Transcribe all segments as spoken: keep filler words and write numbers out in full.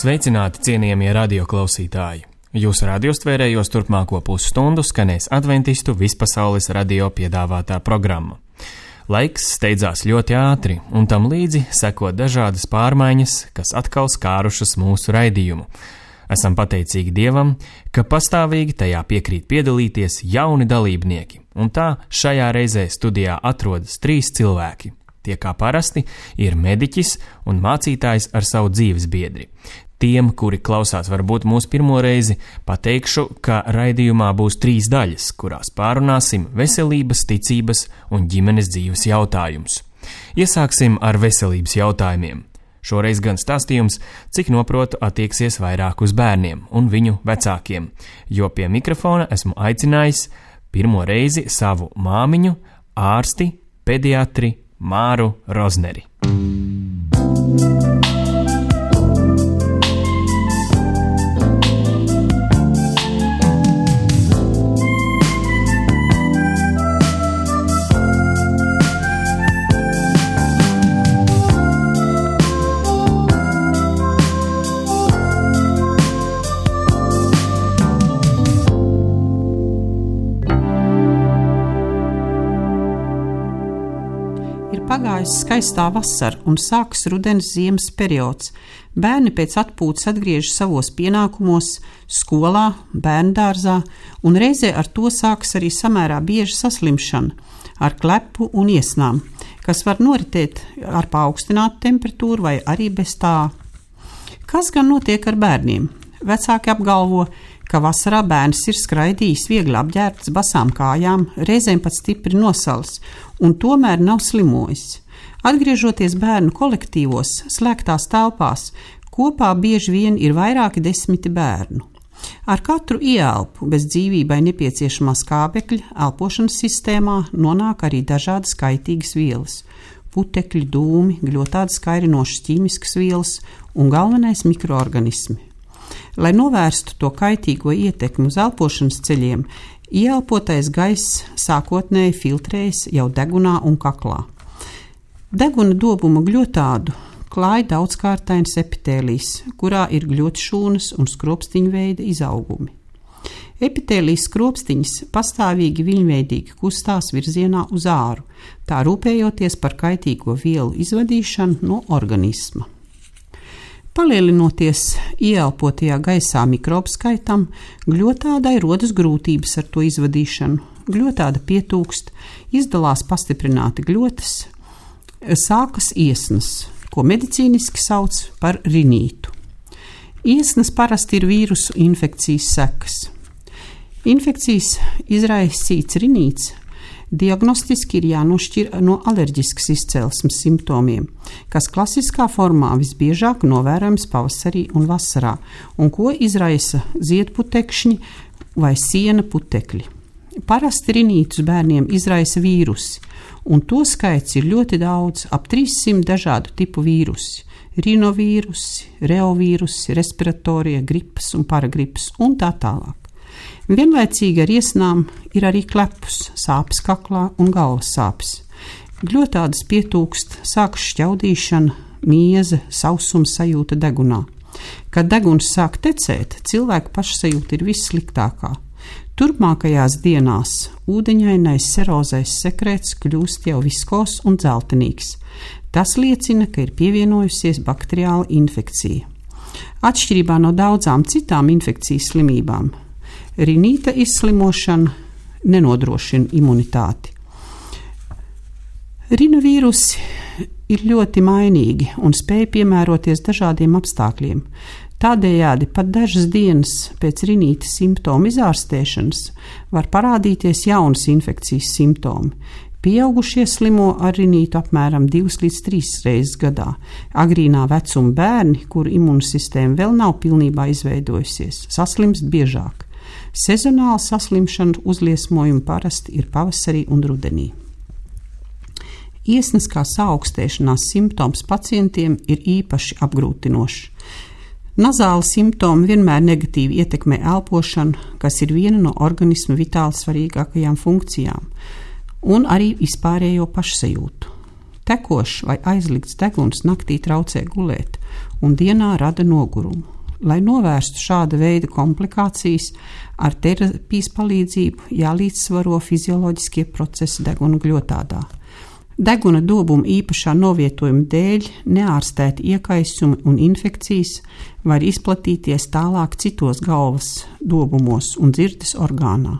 Sveicināti, cienījamie radioklausītāji! Jūsu radiostvērējos turpmāko pusstundu skanēs Adventistu vispasaules radio piedāvātā programma. Laiks steidzās ļoti ātri, un tam līdzi seko dažādas pārmaiņas, kas atkal skārušas mūsu raidījumu. Esam pateicīgi Dievam, ka pastāvīgi tajā piekrīt piedalīties jauni dalībnieki, un tā šajā reizē studijā atrodas trīs cilvēki. Tie kā parasti ir mediķis un mācītājs ar savu dzīves biedri. Tiem, kuri klausās varbūt mūsu pirmo reizi, pateikšu, ka raidījumā būs trīs daļas, kurās pārunāsim veselības, ticības un ģimenes dzīves jautājumus. Iesāksim ar veselības jautājumiem. Šoreiz gan stāstījums, cik noprotu, attieksies vairāk uz bērniem un viņu vecākiem, jo pie mikrofona esmu aicinājis pirmo reizi savu māmiņu, ārsti, pediatri Māru Rozneri. Pagājis skaistā vasara un sākas rudens ziemas periods. Bērni pēc atpūtas atgriežas savos pienākumos, skolā, bērndārzā, un reizē ar to sākas arī samērā bieža saslimšana ar klepu un iesnām, kas var noritēt ar paaugstinātu temperatūru vai arī bez tā. Kas gan notiek ar bērniem? Vecāki apgalvo, ka vasarā bērns ir skraidījis viegli apģērbts basām kājām, reizēm pat stipri nosalis, un tomēr nav slimojis. Atgriežoties bērnu kolektīvos, slēgtās telpās, kopā bieži vien ir vairāki desmiti bērnu. Ar katru ieelpu bez dzīvībai nepieciešamā skābekļa elpošanas sistēmā nonāk arī dažādas kaitīgas vielas – putekļi, dūmi, gļotādas kairinošas ķīmiskas vielas un galvenais mikroorganismi. Lai novērstu to kaitīgo ietekmi uz elpošanas ceļiem, ieelpotais gaiss sākotnēji filtrējas jau degunā un kaklā. Deguna dobuma gļotādu klāj daudzkārtains epitēlijs, kurā ir gļotšūnas un skropstiņu veida izaugumi. Epitēlijas skropstiņas pastāvīgi viļņveidīgi kustās virzienā uz āru, tā rūpējoties par kaitīgo vielu izvadīšanu no organisma. Palielinoties ieelpotajā gaisā mikrobu skaitam, gļotādai rodas grūtības ar to izvadīšanu. Gļotāda pietūkst, izdalās pastiprināti gļotas, sākas iesnas, ko medicīniski sauc par rinītu. Iesnas parasti ir vīrusu infekcijas sekas. Infekcijas izraisīts rinīts diagnostiski ir jānošķir no alerģiskas izcelsmes simptomiem, kas klasiskā formā visbiežāk novērojams pavasarī un vasarā, un ko izraisa ziedputekšņi vai siena putekļi. Parasti rinītus bērniem izraisa vīrusi, un to skaits ir ļoti daudz, ap trīssimt dažādu tipu vīrusi – rinovīrusi, reovīrusi, respiratorie, gripas un paragripas un tā tālāk. Vienlaicīgi ar iesnām ir arī klepus, sāpes kaklā un galvas sāpes. Gļotādas pietūkst, sākas šķaudīšana, mieze, sausums sajūta degunā. Kad deguns sāk tecēt, cilvēka pašsajūta ir vissliktākā. Turpmākajās dienās ūdeņainais serozais sekrēts kļūst jau viskos un dzeltenīgs. Tas liecina, ka ir pievienojusies bakteriāla infekcija. Atšķirībā no daudzām citām infekcijas slimībām, rinīta izslimošana nenodrošina imunitāti. Rinovīrusi ir ļoti mainīgi un spēj piemēroties dažādiem apstākļiem. Tādējādi pat dažas dienas pēc rinīta simptomu izārstēšanas var parādīties jaunas infekcijas simptomi. Pieaugušie slimo ar rinītu apmēram divas līdz trīs reizes gadā. Agrīnā vecuma bērni, kuru imūnsistēma vēl nav pilnībā izveidojusies, saslimst biežāk. Sezonāla saslimšana uzliesmojumi parasti ir pavasarī un rudenī. Iesnas kā saaugstēšanās simptoms pacientiem ir īpaši apgrūtinošs. Nazāli simptomi vienmēr negatīvi ietekmē elpošanu, kas ir viena no organisma vitāli svarīgākajām funkcijām, un arī vispārējo pašsajūtu. Tekošs vai aizlikts deguns naktī traucē gulēt un dienā rada nogurumu. Lai novērstu šāda veida komplikācijas, ar terapijas palīdzību jālīdzsvaro fizioloģiskie procesi deguna gļotādā. Deguna dobuma īpašā novietojuma dēļ neārstēti iekaisumi un infekcijas var izplatīties tālāk citos galvas dobumos un dzirdes orgānā.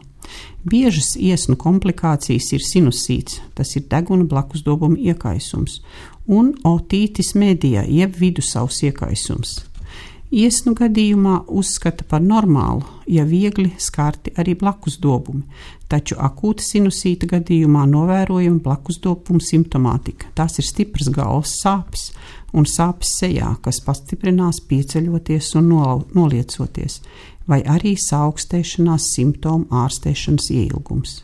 Biežas iesnu komplikācijas ir sinusīts, tas ir deguna blakusdobuma iekaisums, un otītis medijā, jeb vidusavs iekaisums. Iesnu gadījumā uzskata par normālu, ja viegli skarti arī blakusdobumi, taču akūta sinusīta gadījumā novērojama blakusdobuma simptomātika. Tās ir stipras galvas sāpes un sāpes sejā, kas pastiprinās pieceļoties un noliecoties, vai arī saaugstēšanās simptomu ārstēšanas ieilgums.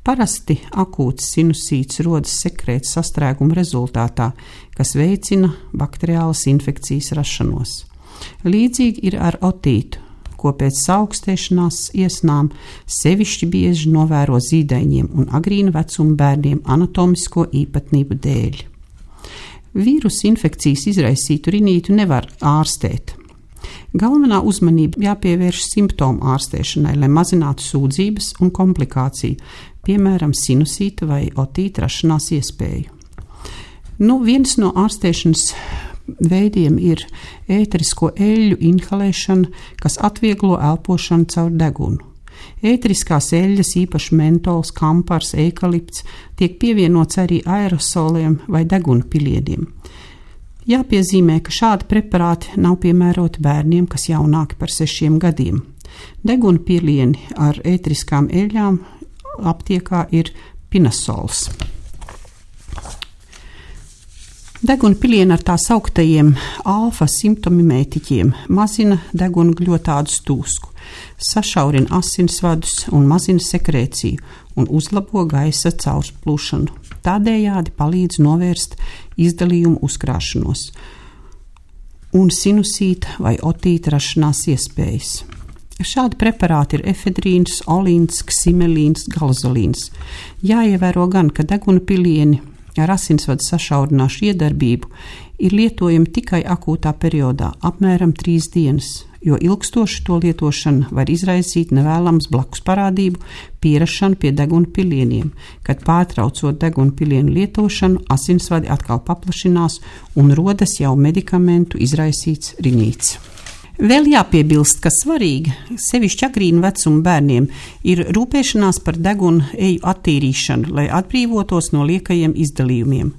Parasti akūts sinusīts rodas sekrēta sastrēguma rezultātā, kas veicina bakteriālas infekcijas rašanos. Līdzīgi ir ar otītu, ko pēc saaugstēšanās iesnām sevišķi bieži novēro zīdaiņiem un agrīna vecuma bērniem anatomisko īpatnību dēļ. Vīrusu infekcijas izraisītu rinītu nevar ārstēt. Galvenā uzmanība jāpievērš simptomu ārstēšanai, lai mazinātu sūdzības un komplikāciju, piemēram, sinusīta vai otīta rašanās iespēju. Nu, viens no ārstēšanas veidiem ir ēterisko eļļu inhalēšana, kas atvieglo elpošanu caur degunu. Ēteriskās eļļas, īpaši mentols, kampars, eikalipts, tiek pievienots arī aerosoliem vai deguna pilieniem. Jāpiezīmē, ka šādi preparāti nav piemēroti bērniem, kas jaunāki par sešiem gadiem. Deguna pilieni ar ēteriskām eļļām aptiekā ir pinasols. Deguna pilieni ar tā sauktajiem alfa simptomimētiķiem mazina deguna gļotādu stūsku, sašaurina asinsvadus un mazina sekrēciju un uzlabo gaisa caurplūšanu. Tādējādi palīdz novērst izdalījumu uzkrāšanos un sinusīta vai otīta rašanās iespējas. Šādi preparāti ir efedrīns, olīns, ksimelīns, galzolīns. Jāievēro gan, ka deguna pilieni ar asinsvadu sašaurināšu iedarbību ir lietojami tikai akūtā periodā, apmēram trīs dienas, jo ilgstoši to lietošana var izraisīt nevēlams blakus parādību, pierašanu pie deguna pilieniem, kad pārtraucot deguna pilienu lietošanu, asinsvadi atkal paplašinās un rodas jau medikamentu izraisīts rinīts. Vēl jāpiebilst, ka svarīgi, sevišķi agrīna vecuma bērniem, ir rūpēšanās par deguna eju attīrīšanu, lai atbrīvotos no liekajiem izdalījumiem.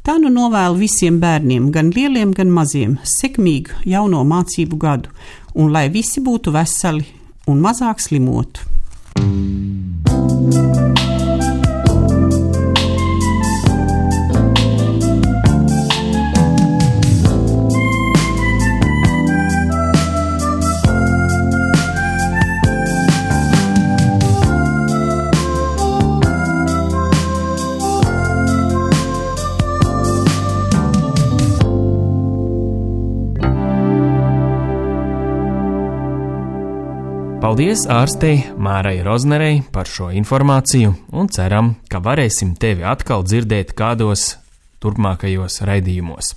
Tā nu novēlu visiem bērniem, gan lieliem, gan maziem, sekmīgu jauno mācību gadu, un lai visi būtu veseli un mazāk slimotu. Paldies ārstei Mārai Roznerei par šo informāciju un ceram, ka varēsim tevi atkal dzirdēt kādos turpmākajos raidījumos.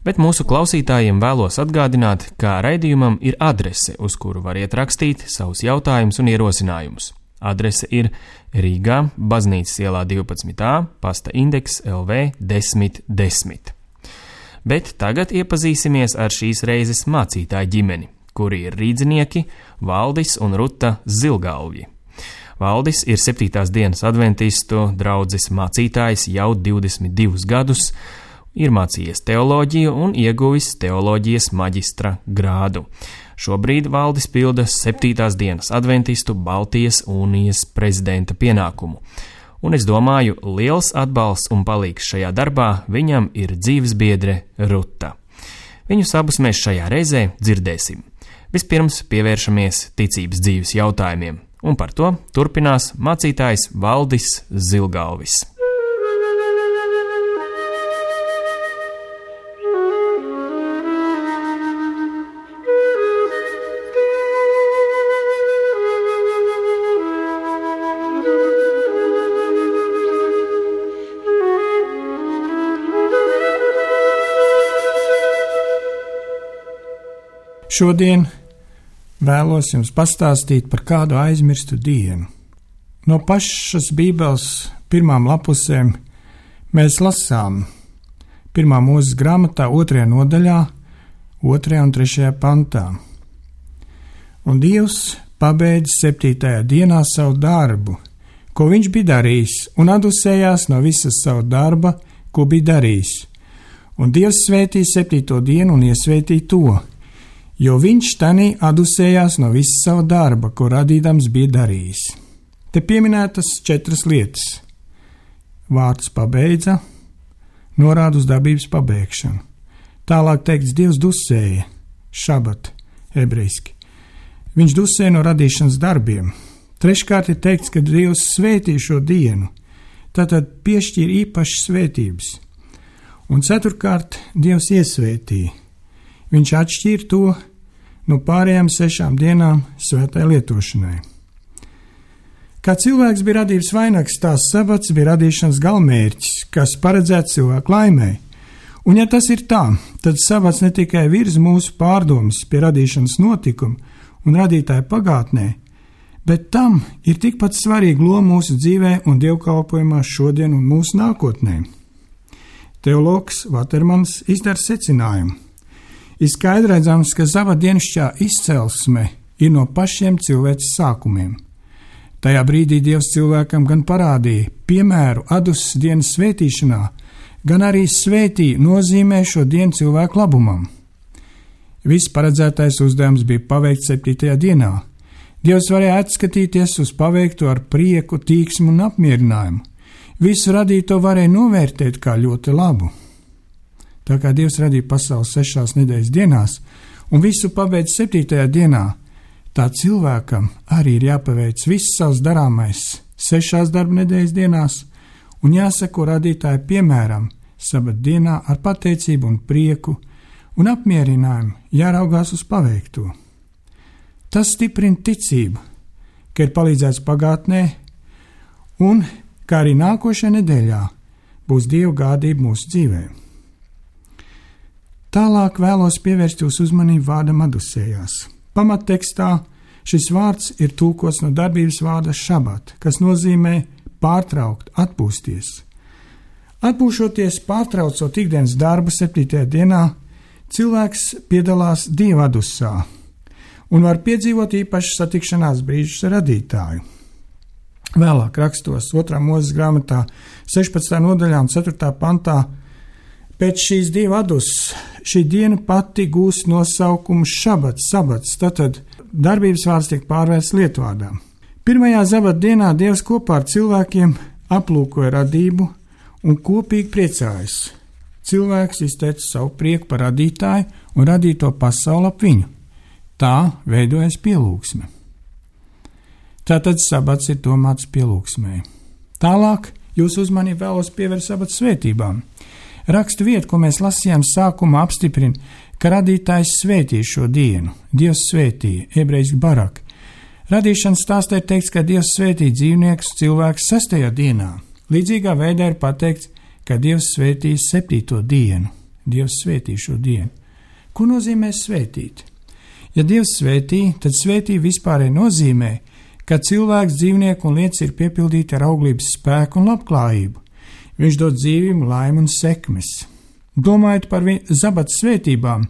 Bet mūsu klausītājiem vēlos atgādināt, ka raidījumam ir adrese, uz kuru variet rakstīt savus jautājumus un ierosinājumus. Adrese ir Rīgā, Baznīcas ielā divpadsmit A, pasta indeks L V desmit desmit. Bet tagad iepazīsimies ar šīs reizes mācītāju ģimeni, kuri ir rīdzinieki Valdis un Ruta Zilgalvji. Valdis ir septītās dienas adventistu draudzes mācītājs jau divdesmit divus gadus, ir mācījies teoloģiju un ieguvis teoloģijas maģistra grādu. Šobrīd Valdis pilda septītās dienas adventistu Baltijas unijas prezidenta pienākumu. Un es domāju, liels atbalsts un palīgs šajā darbā viņam ir dzīvesbiedre Ruta. Viņus abus mēs šajā reizē dzirdēsim. Vispirms pievēršamies ticības dzīves jautājumiem, un par to turpinās mācītājs Valdis Zilgalvjs. Šodien vēlos jums pastāstīt par kādu aizmirstu dienu. No pašas Bībeles pirmām lapusēm mēs lasām pirmā Mūzes grāmatā otrajā nodaļā, otrajā un trešajā pantā. Un Dievs pabeidz septītajā dienā savu darbu, ko viņš bija darījis, un atdusējās no visas savu darba, ko bija darījis. Un Dievs svētīja septīto dienu un iesvētīja to, jo viņš tanī atdusējās no visas savu darba, ko radīdams bija darījis. Te pieminētas četras lietas. Vārds pabeidza norāda uz darbības pabeigšanu. Tālāk teikts, Dievs dusēja, šabat, ebrejiski. Viņš dusēja no radīšanas darbiem. Treškārt ir teikts, ka Dievs svētīja šo dienu, tātad piešķīra īpašas svētības. Un ceturkārt, Dievs iesvētīja. Viņš atšķīra to no pārējām sešām dienām svētai lietošanai. Kā cilvēks bija radības vainags, tās sabats bija radīšanas galmērķis, kas paredzēts cilvēku laimēji. Un ja tas ir tā, tad sabats ne tikai virza mūsu pārdomas pie radīšanas notikuma un radītāja pagātnē, bet tam ir tikpat svarīga loma mūsu dzīvē un dievkalpojumā šodien un mūsu nākotnē. Teologs Vatermans izdara secinājumu. Ir skaidri redzams, ka sabatdienišķā izcelsme ir no pašiem cilvēces sākumiem. Tajā brīdī Dievs cilvēkam gan parādīja piemēru adusas dienas svētīšanā, gan arī svētīja nozīmē šo dienu cilvēku labumam. Viss paredzētais uzdevums bija paveikts septītajā dienā. Dievs varēja atskatīties uz paveikto ar prieku, tīksmu un apmierinājumu. Visu radīto varēja novērtēt kā ļoti labu. Tā kā Dievs radīja pasauli sešās nedēļas dienās un visu pabeidz septītajā dienā, tā cilvēkam arī ir jāpaveic viss savs darāmais sešās darba nedēļas dienās un jāseko radītāja piemēram sabat dienā ar pateicību un prieku un apmierinājumu jāraugās uz paveikto. Tas stiprina ticību, ka ir palīdzēts pagātnē un kā arī nākošajā nedēļā būs Dieva gādība mūsu dzīvē. Tālāk vēlos pievērst jūsu uzmanību vārdam atdusējās. Pamattekstā šis vārds ir tulkots no darbības vārda šabat, kas nozīmē pārtraukt, atpūsties. Atpūšoties, pārtraucot ikdienas darbu septītajā dienā, cilvēks piedalās Dieva atdusā un var piedzīvot īpašas satikšanās brīžus ar radītāju. Vēlāk rakstos otrā Mūzes grāmatā sešpadsmitajā nodaļā un ceturtajā pantā pēc šīs Dieva atdusas šī diena pati gūst nosaukumu šabats, sabats, tātad darbības vārds tiek pārvērsts lietvārdā. Pirmajā sabata dienā Dievs kopā ar cilvēkiem aplūkoja radību un kopīgi priecājas. Cilvēks izteica savu prieku par radītāju un radīto pasauli ap viņu. Tā veidojas pielūgsme. Tātad sabats ir domāts pielūgsmē. Tālāk jūs uzmanību vēlos pievērst sabata svētībām. Rakstu vieta, ko mēs lasījām sākumā, apstiprina, ka radītājs svētīja šo dienu. Dievs svētīja, ebrejiski barak. Radīšanas stāstā ir teikts, ka Dievs svētīja dzīvniekus cilvēkus sestajā dienā. Līdzīgā veidā ir pateikts, ka Dievs svētīja septīto dienu. Dievs svētīja šo dienu. Ko nozīmē svētīt? Ja Dievs svētīja, tad svētīja vispārēji nozīmē, ka cilvēks, dzīvnieku un lietas ir piepildīti ar auglības spēku un labklājību. Viņš dod dzīvību, laimi un sekmes. Domājot par sabata svētībām,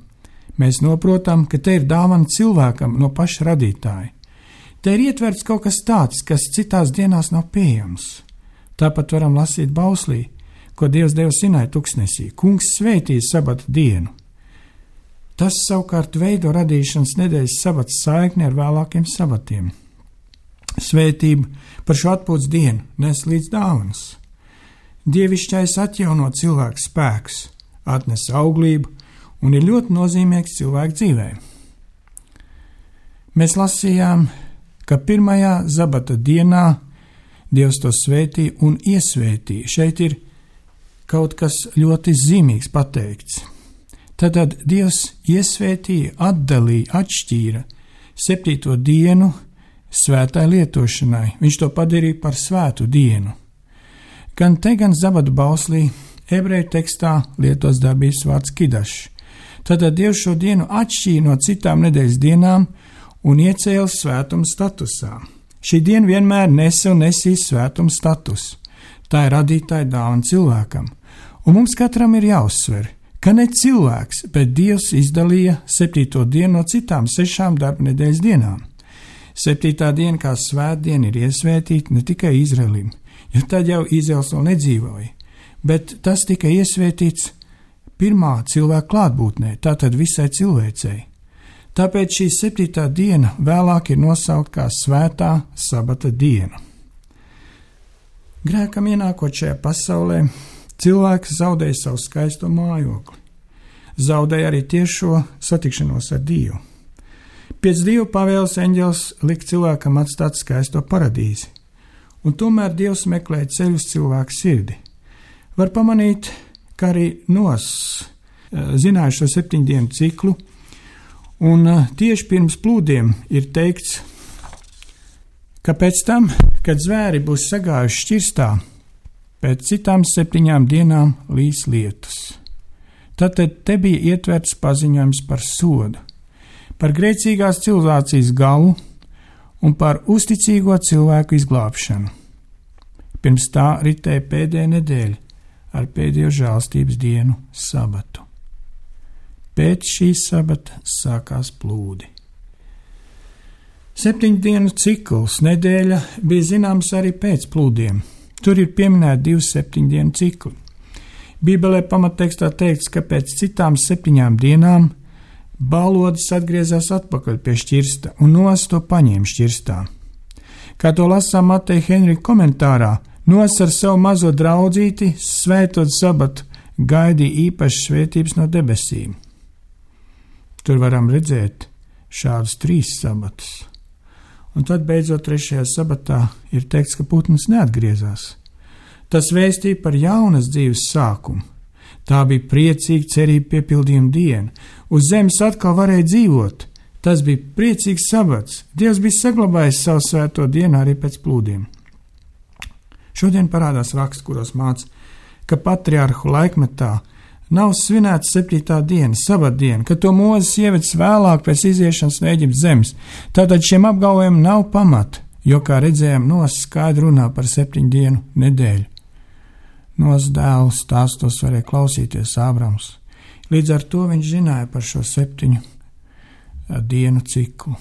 mēs noprotam, ka te ir dāvana cilvēkam no paša radītāja. Te ir ietverts kaut kas tāds, kas citās dienās nav pieejams. Tāpat varam lasīt bauslī, ko Dievs deva Sinai tuksnesī. Kungs svētīja sabata dienu. Tas savukārt veido radīšanas nedēļas sabata saikni ar vēlākiem sabatiem. Svētība par šo atpūtas dienu nes līdz dāvanas. Dievišķais atjauno cilvēku spēks, atnes auglību un ir ļoti nozīmīgs cilvēku dzīvē. Mēs lasījām, ka pirmajā sabata dienā Dievs to svētīja un iesvētīja. Šeit ir kaut kas ļoti zīmīgs pateikts. Tad Dievs iesvētīja, atdalīja, atšķīra septīto dienu svētai lietošanai. Viņš to padarīja par svētu dienu. Gan te, gan sabata bauslī ebreju tekstā lietos darbības vārds kidašs. Tātad Dievs šo dienu atšķīra no citām nedēļas dienām un iecēla svētuma statusā. Šī diena vienmēr nesa un nesīs svētuma statusu. Tā ir radītāja dāvana cilvēkam. Un mums katram ir jāuzsver, ka ne cilvēks, bet Dievs izdalīja septīto dienu no citām sešām darba nedēļas dienām. Septītā diena kā svētdiena ir iesvētīta ne tikai Izraēlim, jo tad jau Izraels vēl nedzīvoja, bet tas tika iesvētīts pirmā cilvēka klātbūtnē, tātad visai cilvēcei. Tāpēc šī septītā diena vēlāk ir nosaukt kā svētā sabata diena. Grēkam ienākot šajā pasaulē, cilvēks zaudēja savu skaisto mājokli. Zaudēja arī tiešo satikšanos ar Dievu. Pēc Dieva pavēles eņģelis lika cilvēkam atstāt skaisto paradīzi, un tomēr Dievs meklēja ceļu uz cilvēku sirdi. Var pamanīt, ka arī Nos zināja šo septiņu dienu ciklu, un tieši pirms plūdiem ir teikts, ka pēc tam, kad zvēri būs sagājuši šķirstā, pēc citām septiņām dienām līs lietus. Tātad te bija ietverts paziņojums par sodu, par grēcīgās civilizācijas galu un par uzticīgo cilvēku izglābšanu. Pirms tā ritēja pēdējā nedēļa ar pēdējo žēlstības dienu sabatu. Pēc šīs sabata sākās plūdi. Septiņu dienu cikls nedēļa bija zināms arī pēc plūdiem. Tur ir pieminēti divi septiņu dienu cikli. Bībelē pamattekstā teikts, ka pēc citām septiņām dienām balodis atgriezās atpakaļ pie šķirsta un Nos to paņēma šķirstā. Kā to lasām Mateja Henrika komentārā, Nos ar savu mazo draudzīti svētot sabatu gaidīja īpašas svētības no debesīm. Tur varam redzēt šādus trīs sabatus. Un tad beidzot trešajā sabatā ir teikts, ka putns neatgriezās. Tas vēstīja par jaunas dzīves sākumu. Tā bija priecīga cerība piepildījuma diena. Uz zemes atkal varēja dzīvot. Tas bija priecīgs sabats. Dievs bija saglabājis savu svēto dienu arī pēc plūdiem. Šodien parādās raksts, kuros māca, ka patriarhu laikmetā nav svinēta septītā diena, sabatdiena, ka to Mūzes ievedis vēlāk pēc iziešanas no Eģiptes zemes. Tātad šiem apgalvojumiem nav pamata, jo, kā redzējām, Nos skaidri runā par septiņu dienu nedēļu. Nos dēlu stāstos varēja klausīties Ābrams. Līdz ar to viņš zināja par šo septiņu dienu ciklu.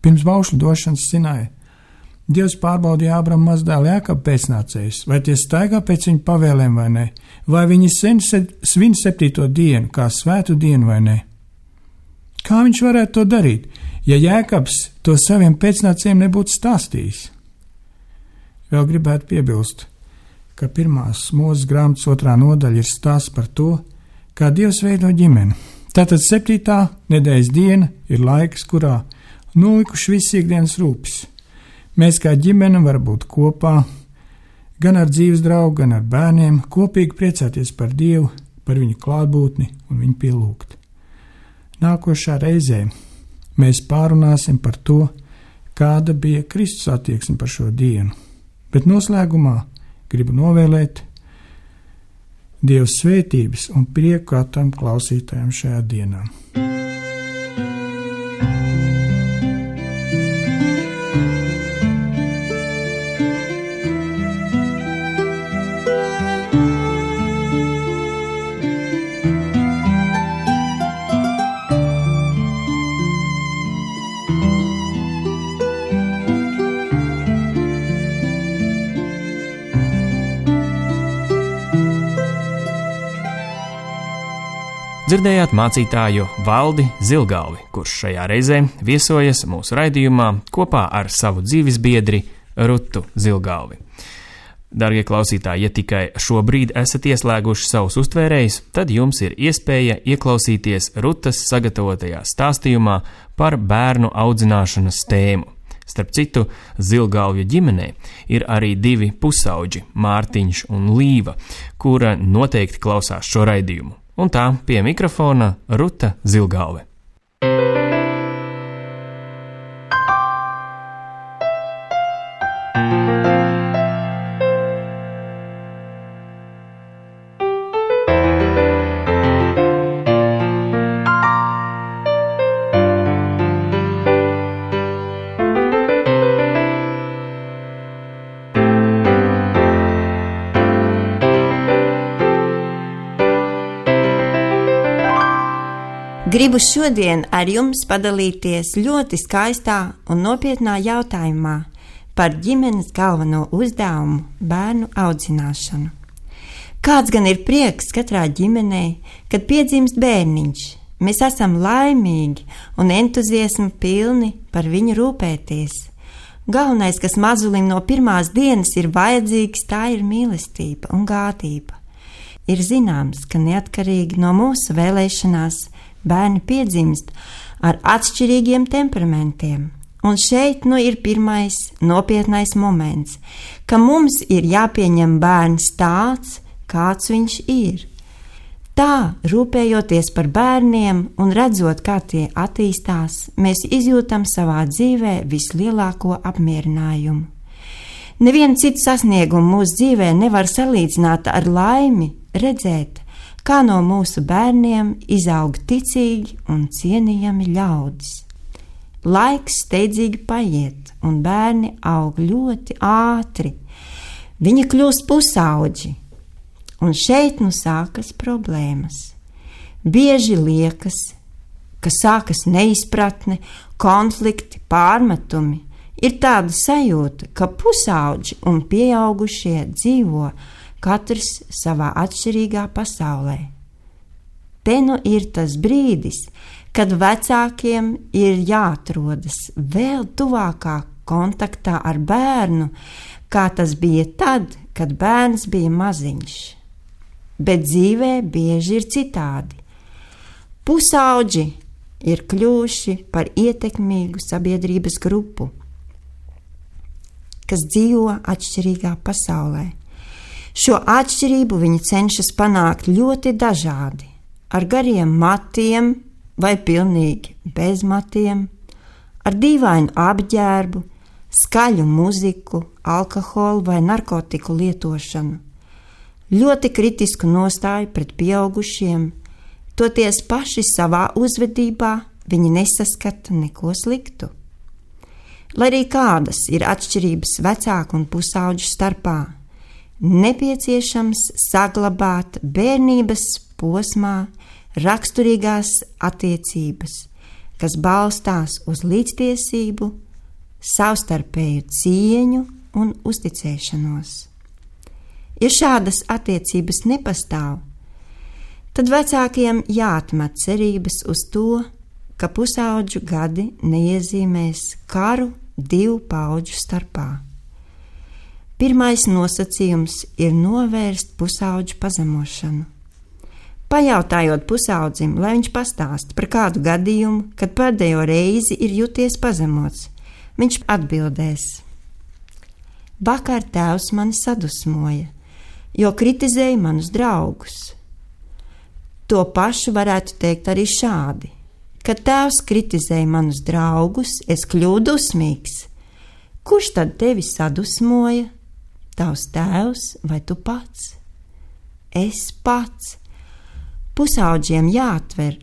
Pirms baušļu došanas Sinaja Dievs pārbaudīja Ābrama mazdēlu Jākabu pēcnācējus, vai tie staigā pēc viņa pavēlēm vai ne, vai viņi svin septīto dienu kā svētu dienu vai ne. Kā viņš varētu to darīt, ja Jākabs to saviem pēcnācējiem nebūtu stāstījis? Vēl gribētu piebilst, ka pirmās Mūzes grāmatas otrā nodaļa ir stāsts par to, kā Dievs veido ģimeni. Tātad septītā nedēļas diena ir laiks, kurā nolikuši visi ikdienas rūpes. Mēs kā ģimene varam būt kopā, gan ar dzīves draugu, gan ar bērniem, kopīgi priecāties par Dievu, par viņu klātbūtni un viņu pielūgt. Nākošā reizē mēs pārunāsim par to, kāda bija Kristus attieksme par šo dienu, bet noslēgumā gribu novēlēt Dieva svētības un prieku katram klausītājam šajā dienā. Dzirdējāt mācītāju Valdi Zilgalvi, kurš šajā reizē viesojas mūsu raidījumā kopā ar savu dzīvesbiedri Rutu Zilgalvi. Darbie klausītāji, ja tikai šobrīd esat ieslēguši savus uztvērējus, tad jums ir iespēja ieklausīties Rutas sagatavotajā stāstījumā par bērnu audzināšanas tēmu. Starp citu, Zilgalvju ģimenē ir arī divi pusauģi, Mārtiņš un Līva, kura noteikti klausās šo raidījumu. Un tā pie mikrofona Ruta Zilgalve. Gribu šodien ar jums padalīties ļoti skaistā un nopietnā jautājumā par ģimenes galveno uzdevumu bērnu audzināšanu. Kāds gan ir prieks katrā ģimenē, kad piedzimst bērniņš? Mēs esam laimīgi un entuziasma pilni par viņu rūpēties. Galvenais, kas mazulim no pirmās dienas ir vajadzīgs, tā ir mīlestība un gādība. Ir zināms, ka neatkarīgi no mūsu vēlēšanās bērni piedzimst ar atšķirīgiem temperamentiem. Un šeit nu ir pirmais nopietnais moments, ka mums ir jāpieņem bērns tāds, kāds viņš ir. Tā, rūpējoties par bērniem un redzot, kā tie attīstās, mēs izjūtam savā dzīvē vislielāko apmierinājumu. Nevienu citu sasniegumu mūsu dzīvē nevar salīdzināt ar laimi redzēt, kā no mūsu bērniem izaug ticīgi un cienījami ļaudis. Laiks steidzīgi paiet, un bērni aug ļoti ātri. Viņi kļūst pusauģi. Un šeit nu sākas problēmas. Bieži liekas, ka sākas neizpratne, konflikti, pārmetumi. Ir tāda sajūta, ka pusauģi un pieaugušie dzīvo katrs savā atšķirīgā pasaulē. Te nu ir tas brīdis, kad vecākiem ir jāatrodas vēl tuvākā kontaktā ar bērnu, kā tas bija tad, kad bērns bija maziņš. Bet dzīvē bieži ir citādi. Pusauģi ir kļuvuši par ietekmīgu sabiedrības grupu, kas dzīvo atšķirīgā pasaulē. Šo atšķirību viņi cenšas panākt ļoti dažādi, ar gariem matiem vai pilnīgi bez matiem, ar dīvainu apģērbu, skaļu muziku, alkoholu vai narkotiku lietošanu. Ļoti kritisku nostāju pret pieaugušiem, toties paši savā uzvedībā viņi nesaskata neko sliktu. Lai arī kādas ir atšķirības vecāku un pusauģu starpā, nepieciešams saglabāt bērnības posmā raksturīgās attiecības, kas balstās uz līdztiesību, savstarpēju cieņu un uzticēšanos. Ja šādas attiecības nepastāv, tad vecākiem jāatmet cerības uz to, ka pusauģu gadi neiezīmēs karu divu paudžu starpā. Pirmais nosacījums ir novērst pusauģu pazemošanu. Pajautājot pusaudzim, lai viņš pastāsta par kādu gadījumu, kad pēdējo reizi ir jūties pazemots, viņš atbildēs: vakar tēvs mani sadusmoja, jo kritizēja manus draugus. To pašu varētu teikt arī šādi: kad tēvs kritizēja manus draugus, es kļuvu dusmīgs. Kurš tad tevi sadusmoja? Tavs tēvs vai tu pats? Es pats. Pusauģiem jāatver,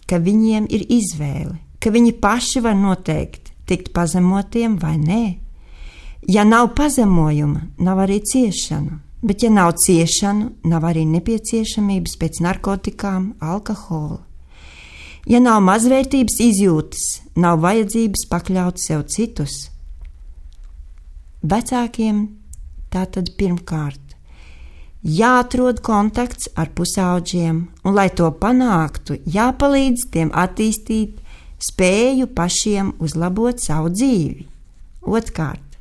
ka viņiem ir izvēle, ka viņi paši var noteikt, tikt pazemotiem vai nē. Ja nav pazemojuma, nav arī ciešanu. Bet, ja nav ciešanu, nav arī nepieciešamības pēc narkotikām, alkohola. Ja nav mazvērtības izjūtas, nav vajadzības pakļaut sev citus. Vecākiem tātad pirmkārt jāatrod kontakts ar pusauģiem, un, lai to panāktu, jāpalīdz tiem attīstīt spēju pašiem uzlabot savu dzīvi. Otkārt,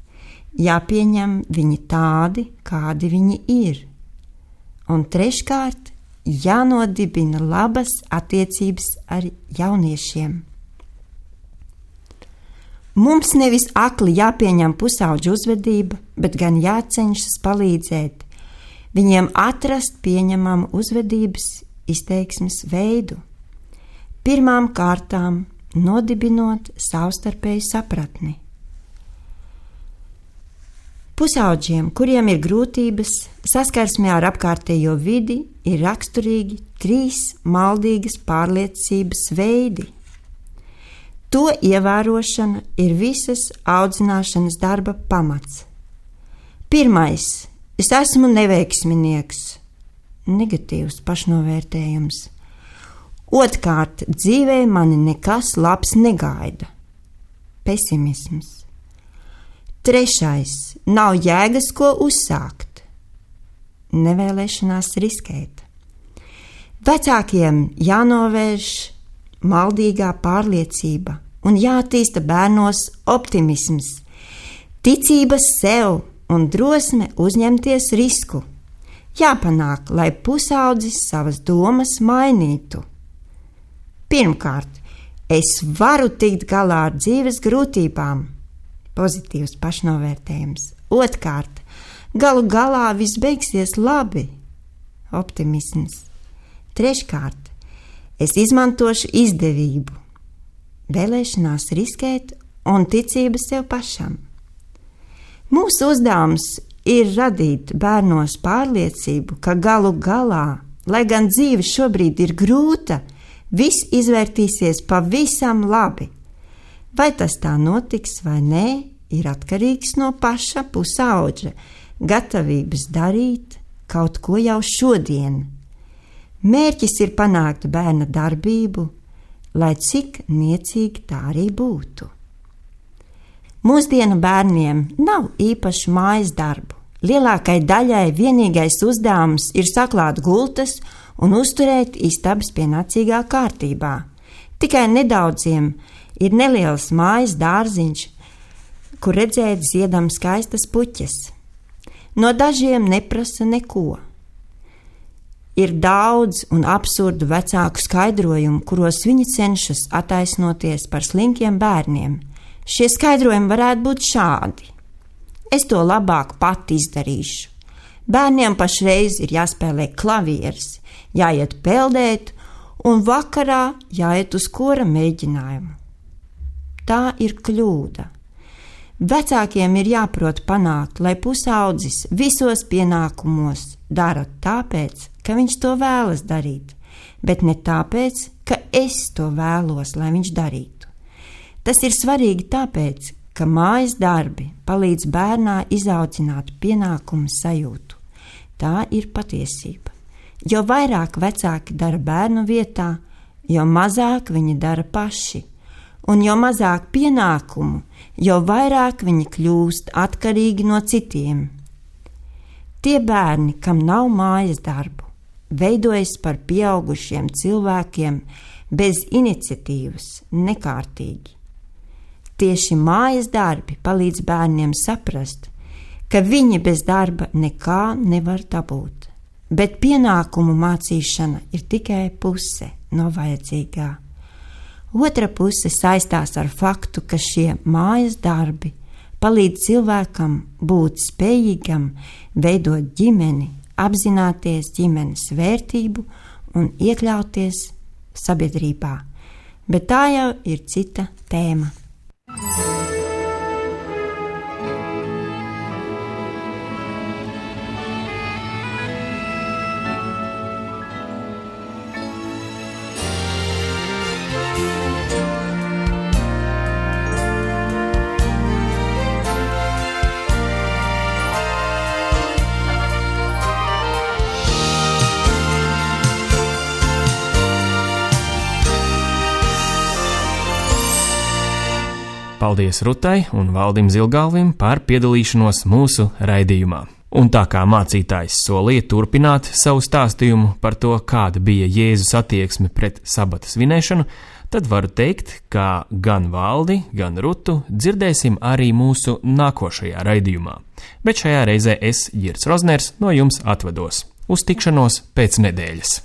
jāpieņem viņi tādi, kādi viņi ir. Un treškārt, jānodibina labas attiecības ar jauniešiem. Mums nevis akli jāpieņem pusauģu uzvedība, bet gan jācenšas palīdzēt viņiem atrast pieņemamu uzvedības izteiksmes veidu. Pirmām kārtām nodibinot savstarpēju sapratni. Pusauģiem, kuriem ir grūtības saskarsmē ar apkārtējo vidi, ir raksturīgi trīs maldīgas pārliecības veidi. To ievērošana ir visas audzināšanas darba pamats. Pirmais – es esmu neveiksminieks, negatīvs pašnovērtējums. Otrkārt, dzīvē mani nekas labs negaida. Pesimisms. Trešais, nav jēgas, ko uzsākt. Nevēlēšanās riskēt. Vecākiem jānovērš maldīgā pārliecība un jātīsta bērnos optimisms, ticības sev un drosme uzņemties risku. Jāpanāk, lai pusaudzis savas domas mainītu. Pirmkārt, es varu tikt galā ar dzīves grūtībām. Pozitīvs pašnovērtējums. Otrkārt, galu galā viss beigsies labi. Optimisms. Treškārt, es izmantošu izdevību, vēlēšanās riskēt un ticība sev pašam. Mūsu uzdevums ir radīt bērnos pārliecību, ka galu galā, lai gan dzīve šobrīd ir grūta, viss izvērtīsies pavisam labi. Vai tas tā notiks vai nē, ir atkarīgs no paša pusaudža gatavības darīt kaut ko jau šodien. Mērķis ir panākt bērna darbību, lai cik niecīgi tā arī būtu. Mūsdienu bērniem nav īpašu mājas darbu. Lielākai daļai vienīgais uzdevums ir saklāt gultas un uzturēt istabas pienācīgā kārtībā. Tikai nedaudziem ir neliels mājas dārziņš, kur redzēt ziedam skaistas puķes. No dažiem neprasa neko. Ir daudz un absurdu vecāku skaidrojumu, kuros viņi cenšas attaisnoties par slinkiem bērniem. Šie skaidrojumi varētu būt šādi. Es to labāk pati izdarīšu. Bērniem pašreiz ir jāspēlē klavieres, jāiet peldēt un vakarā jāiet uz kora mēģinājumu. Tā ir kļūda. Vecākiem ir jāprot panākt, lai pusaudzis visos pienākumos dara tāpēc, ka viņš to vēlas darīt, bet ne tāpēc, ka es to vēlos, lai viņš darītu. Tas ir svarīgi tāpēc, ka mājas darbi palīdz bērnā izaudzināt pienākumu sajūtu. Tā ir patiesība. Jo vairāk vecāki dara bērnu vietā, jo mazāk viņi dara paši. Un jo mazāk pienākumu, jo vairāk viņi kļūst atkarīgi no citiem. Tie bērni, kam nav mājas darbu, veidojas par pieaugušiem cilvēkiem bez iniciatīvas, nekārtīgi. Tieši mājas darbi palīdz bērniem saprast, ka viņi bez darba nekā nevar dabūt, bet pienākumu mācīšana ir tikai puse no vajadzīgā. Otra puse saistās ar faktu, ka šie mājas darbi palīdz cilvēkam būt spējīgam veidot ģimeni, apzināties ģimenes vērtību un iekļauties sabiedrībā. Bet tā jau ir cita tēma. Paldies Rutai un Valdim Zilgalvim par piedalīšanos mūsu raidījumā. Un tā kā mācītājs solīja turpināt savu stāstījumu par to, kāda bija Jēzus attieksme pret sabata svinēšanu, tad varu teikt, ka gan Valdi, gan Rutu dzirdēsim arī mūsu nākošajā raidījumā. Bet šajā reizē es, Girts Rozners, no jums atvados. Uz tikšanos pēc nedēļas!